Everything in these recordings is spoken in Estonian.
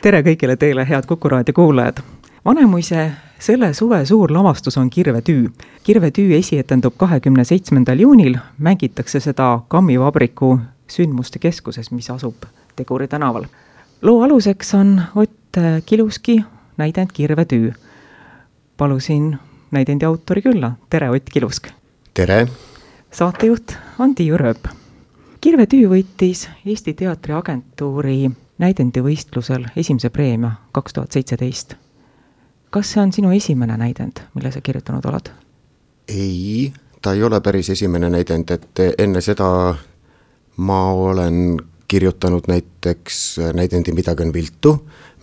tere kõigile teile, head Kuku raadio kuulajad! Vanemuise selle suve suur lavastus on Kirvetüü. Kirvetüü esietendub 27. juunil, mängitakse seda Kammivabriku sündmuste keskuses, mis asub Teguri tänaval. Loo aluseks on Ott Kiluski näidend Kirvetüü. Palusin näidendi autori külla. Tere, Ott Kilusk! Tere! Saatejuht on Tiiu Rööp. Kirvetüü võitis Eesti Teatriagentuuri näidendivõistlusel esimese preemia 2017. Kas see on sinu esimene näidend, mille sa kirjutanud oled? Ei, ta ei ole päris esimene näidend, et enne seda ma olen kirjutanud näiteks näidendi Midagi on viltu,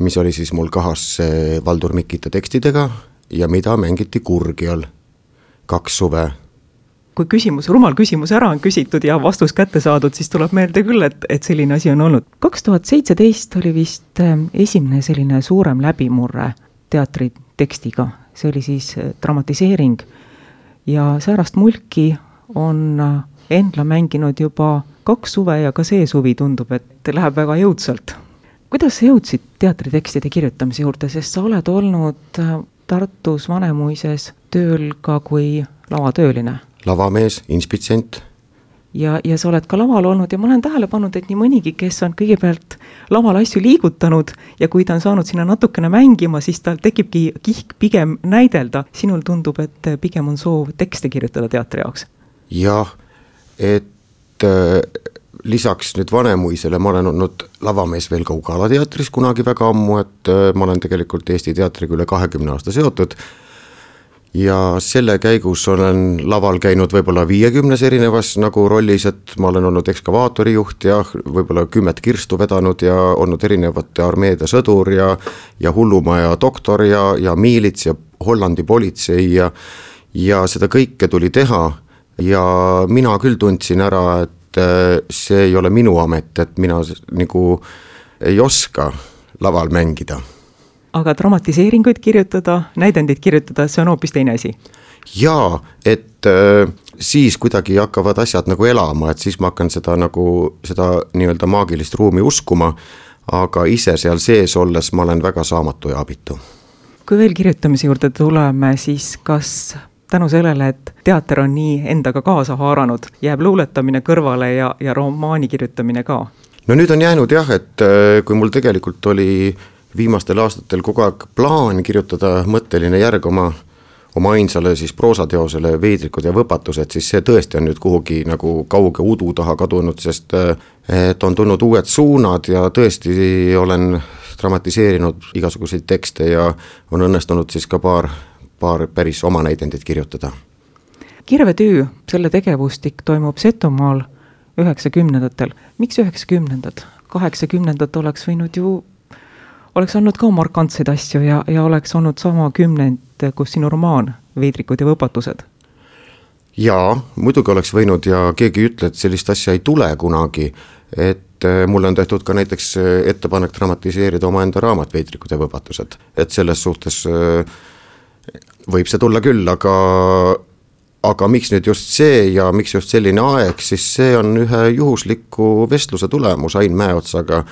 mis oli siis mul kahas Valdur Mikita tekstidega ja mida mängiti Kurgial 2 suve. Kui rumal küsimus ära on küsitud ja vastus kätte saadud, siis tuleb meelde küll, et selline asi on olnud. 2017 oli vist esimene selline suurem läbimurre teatri tekstiga. See oli siis dramatiseering ja säärast mulki on Endla mänginud juba 2 suve ja ka see suvi tundub, et läheb väga jõudsalt. Kuidas sa jõudsid teatritekstide kirjutamise juurde, sest sa oled olnud Tartus Vanemuises tööl ka kui lavatööline? Lavamees, inspitsient. Ja sa oled ka laval olnud ja ma olen tähele pannud, et nii mõnigi, kes on kõigepealt laval asju liigutanud ja kui ta on saanud sinna natukene mängima, siis tal tekibki kihk pigem näidelda. Sinul tundub, et pigem on soov tekste kirjutada teatri jaoks. Jah, et lisaks nüüd Vanemuisele ma olen olnud lavamees veel ka Ugala teatris kunagi väga ammu, et ma olen tegelikult Eesti teatriga üle 20 aasta seotud. Ja selle käigus olen laval käinud võib-olla 50 erinevas nagu rollis, et ma olen olnud ekskavaatorijuht ja võib-olla 10 kirstu vedanud ja olnud erinevate armeede sõdur ja hullumaja doktor ja miilits ja Hollandi politsei ja seda kõike tuli teha ja mina küll tundsin ära, et see ei ole minu amet, et mina nagu ei oska laval mängida. Aga dramatiseeringuid kirjutada, näidendid kirjutada, see on hoopis teine asi. Jaa, et siis kuidagi hakkavad asjad nagu elama, et siis ma hakkan seda nii-öelda maagilist ruumi uskuma, aga ise seal sees olles ma olen väga saamatu ja abitu. Kui veel kirjutamise juurde tuleme, siis kas tänu sellele, et teater on nii endaga kaasa haaranud, jääb luuletamine kõrvale ja romaani kirjutamine ka? No nüüd on jäänud jah, et kui mul tegelikult oli viimastel aastatel kogu aeg plaan kirjutada mõtteline järg oma ainsale siis proosateosele Veidrikud ja võpatused, siis see tõesti on nüüd kuhugi nagu kauge udu taha kadunud, sest et on tulnud uued suunad ja tõesti olen dramatiseerinud igasuguseid tekste ja on õnnestunud siis ka paar päris oma näidendit kirjutada. Kirvetüü, selle tegevustik toimub Setomaal 90-ndatel. Miks 90-ndad? 80-ndad oleks olnud ka markantseid asju ja oleks olnud sama 10, kus sinu romaan Veidrikud ja võpatused. Jaa, muidugi oleks võinud ja keegi ütle, et sellist asja ei tule kunagi, et mulle on tehtud ka näiteks ettepanek dramatiseerida omaenda raamat Veidrikud ja võpatused, et selles suhtes võib see tulla küll, aga miks nüüd just see ja miks just selline aeg, siis see on ühe juhusliku vestluse tulemus Ain Mäeotsaga,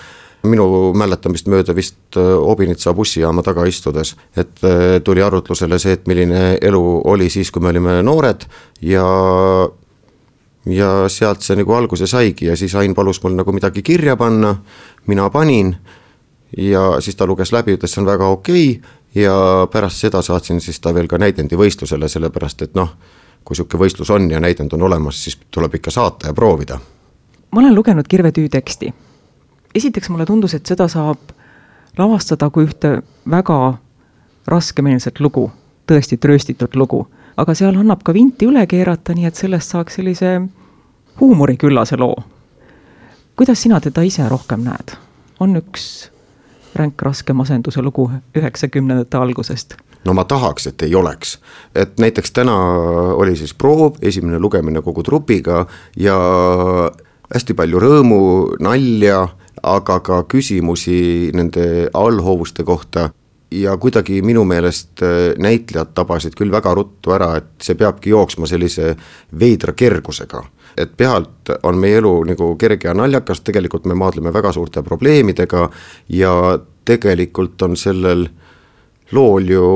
minu mäletamist mööda vist Obinitsa bussijaama taga istudes, et tuli arutlusele see, et milline elu oli siis, kui me olime noored ja sealt see nagu alguse saigi ja siis Ain palus mul nagu midagi kirja panna, mina panin ja siis ta luges läbi, ütles see on väga okei ja pärast seda saatsin siis ta veel ka näidendi võistlusele, sellepärast et kui siuke võistlus on ja näidend on olemas, siis tuleb ikka saata ja proovida. Ma olen lugenud Kirvetüü teksti. Esiteks mulle tundus, et seda saab lavastada kui ühte väga raskemeelset lugu, tõesti trööstitud lugu, aga seal annab ka vinti üle keerata, nii et sellest saaks sellise huumoriküllase loo. Kuidas sina teda ise rohkem näed? On üks ränk raske masenduse lugu 90-ndate algusest? No ma tahaks, et ei oleks. Et näiteks täna oli siis proov, esimene lugemine kogu trupiga ja hästi palju rõõmu, nalja, aga ka küsimusi nende allhoovuste kohta ja kuidagi minu meelest näitlejad tabasid küll väga ruttu ära, et see peabki jooksma sellise veidra kergusega. Et pealt on meie elu nagu kerge ja naljakas, tegelikult me maadleme väga suurte probleemidega ja tegelikult on sellel lool ju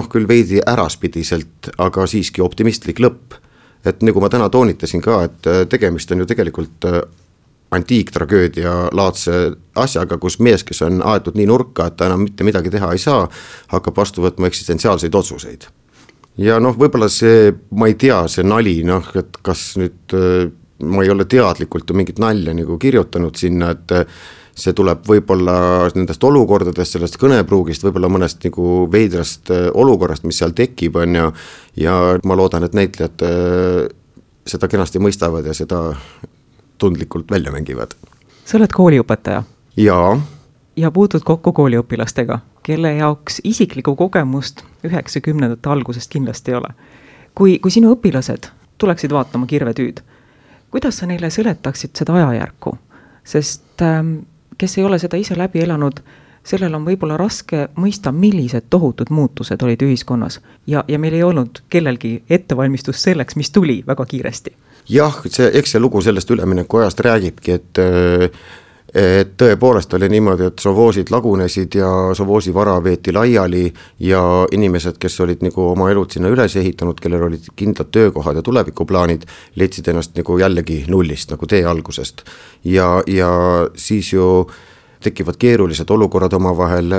küll veidi äraspidiselt, aga siiski optimistlik lõpp. Et nagu ma täna toonitasin ka, et tegemist on ju tegelikult antiiktragöödia laadse asjaga, kus mees, kes on aetud nii nurka, et ta enam mitte midagi teha ei saa, hakkab vastu võtma eksistentsiaalseid otsuseid. Ja võib-olla see, ma ei tea, see nali, et kas nüüd ma ei ole teadlikult ju mingit nalja nagu kirjutanud sinna, et see tuleb võib-olla nendest olukordadest, sellest kõnepruugist, võib-olla mõnest nagu veidrast olukorrast, mis seal tekib, on ja ma loodan, et näitlejad seda kenasti mõistavad ja seda tundlikult välja mängivad. Sa oled kooliõpetaja? Jaa. Ja puutud kokku kooliõpilastega, kelle jaoks isiklikku kogemust 90. algusest kindlasti ei ole. Kui sinu õpilased tuleksid vaatama Kirvetüüd, kuidas sa neile seletaksid seda ajajärku? Sest kes ei ole seda ise läbi elanud, sellel on võib-olla raske mõista, millised tohutud muutused olid ühiskonnas ja meil ei olnud kellelgi ettevalmistus selleks, mis tuli väga kiiresti. Jah, eks see lugu sellest ülemineku ajast räägibki, et tõepoolest oli niimoodi, et sovoosid lagunesid ja sovoosi vara veeti laiali ja inimesed, kes olid nagu oma elud sinna üles ehitanud, kellel olid kindlad töökohad ja tulevikuplaanid, leidsid ennast nagu jällegi nullist, nagu tee algusest. Ja siis ju tekivad keerulised olukorrad omavahel,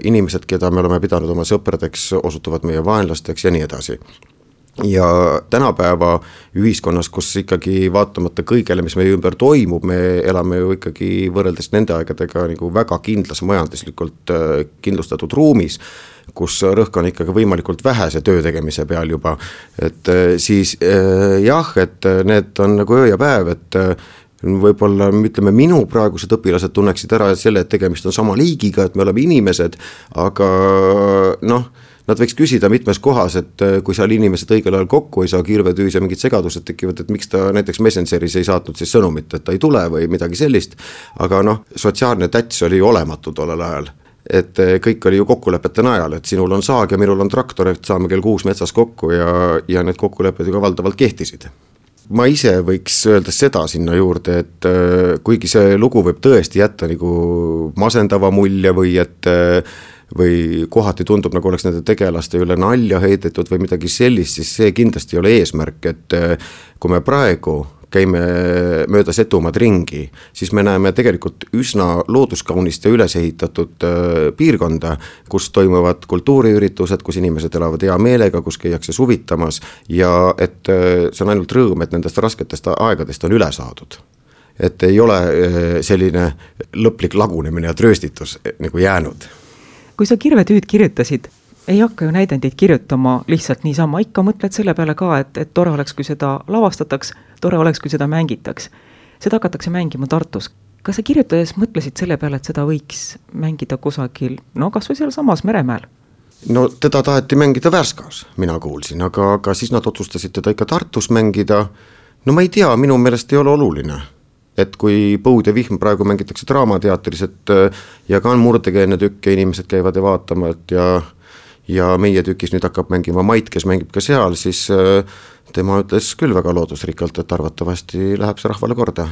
inimesed, keda me oleme pidanud oma sõpradeks, osutuvad meie vaenlasteks ja nii edasi. Ja tänapäeva ühiskonnas, kus ikkagi vaatamata kõigele, mis meie ümber toimub, me elame ju ikkagi võrreldes nende aegadega nagu väga kindlas majanduslikult kindlustatud ruumis, kus rõhk on ikkagi võimalikult vähese töö tegemise peal juba, et siis jah, et need on nagu öö ja päev, et võib-olla ütleme, minu praegused õpilased tunneksid ära selle, et tegemist on sama liigiga, et me oleme inimesed, aga nad võiks küsida mitmes kohas, et kui seal inimesed õigel ajal kokku ei saa Kirvetüüs ja mingid segadused tekivad, et miks ta näiteks Messengeris ei saatnud siis sõnumit, et ta ei tule või midagi sellist, aga sotsiaalne täts oli olematu tollel ajal. Et kõik oli ju kokkulepete najal, et sinul on saag ja minul on traktor, et saame kell 6 metsas kokku ja need kokkulepped ju ka valdavalt kehtisid. Ma ise võiks öelda seda sinna juurde, et kuigi see lugu võib tõesti jätta nagu masendava mulje või kohati tundub, nagu oleks nende tegelaste üle nalja heidetud või midagi sellist, siis see kindlasti ei ole eesmärk, et kui me praegu käime mööda Setumaad ringi, siis me näeme tegelikult üsna looduskaunist ja üles ehitatud piirkonda, kus toimuvad kultuuriüritused, kus inimesed elavad hea meelega, kus käiakse suvitamas ja et see on ainult rõõm, et nendest rasketest aegadest on üle saadud. Et ei ole selline lõplik lagunemine ja trööstitus nagu jäänud. Kui sa Kirvetüüd kirjutasid, ei hakka ju näidendid kirjutama lihtsalt niisama, ikka mõtled selle peale ka, et tore oleks, kui seda lavastataks, tore oleks, kui seda mängitaks. Seda hakatakse mängima Tartus. Kas sa kirjutades mõtlesid selle peale, et seda võiks mängida kusagil, kas või seal samas Meremäel? Teda taheti mängida Värskas, mina kuulsin, aga siis nad otsustasid teda ikka Tartus mängida. Ma ei tea, minu meelest ei ole oluline. Et kui Põud ja vihm praegu mängitakse Draamateatris, et ja ka on murdekeelne tükk ja inimesed käivad ja vaatama, et ja meie tükis nüüd hakkab mängima Mait, kes mängib ka seal, siis tema ütles küll väga loodusrikkalt, et arvatavasti läheb see rahvale korda.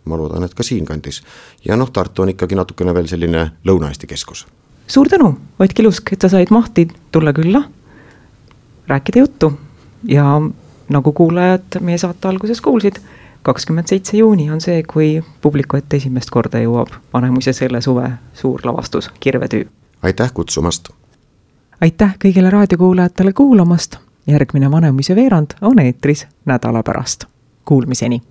Ma loodan, et ka siin kandis. Ja Tartu on ikkagi natukene veel selline Lõuna-Eesti keskus. Suur tänu, Ott Kilusk, et sa said mahti tulla külla, rääkida juttu ja nagu kuulajad meie saate alguses kuulsid, 27. juuni on see, kui publiku ette esimest korda jõuab Vanemuise selle suve suur lavastus Kirvetüü. Aitäh kutsumast! Aitäh kõigile raadiokuulajatele kuulamast! Järgmine Vanemuise veerand on eetris nädala pärast. Kuulmiseni!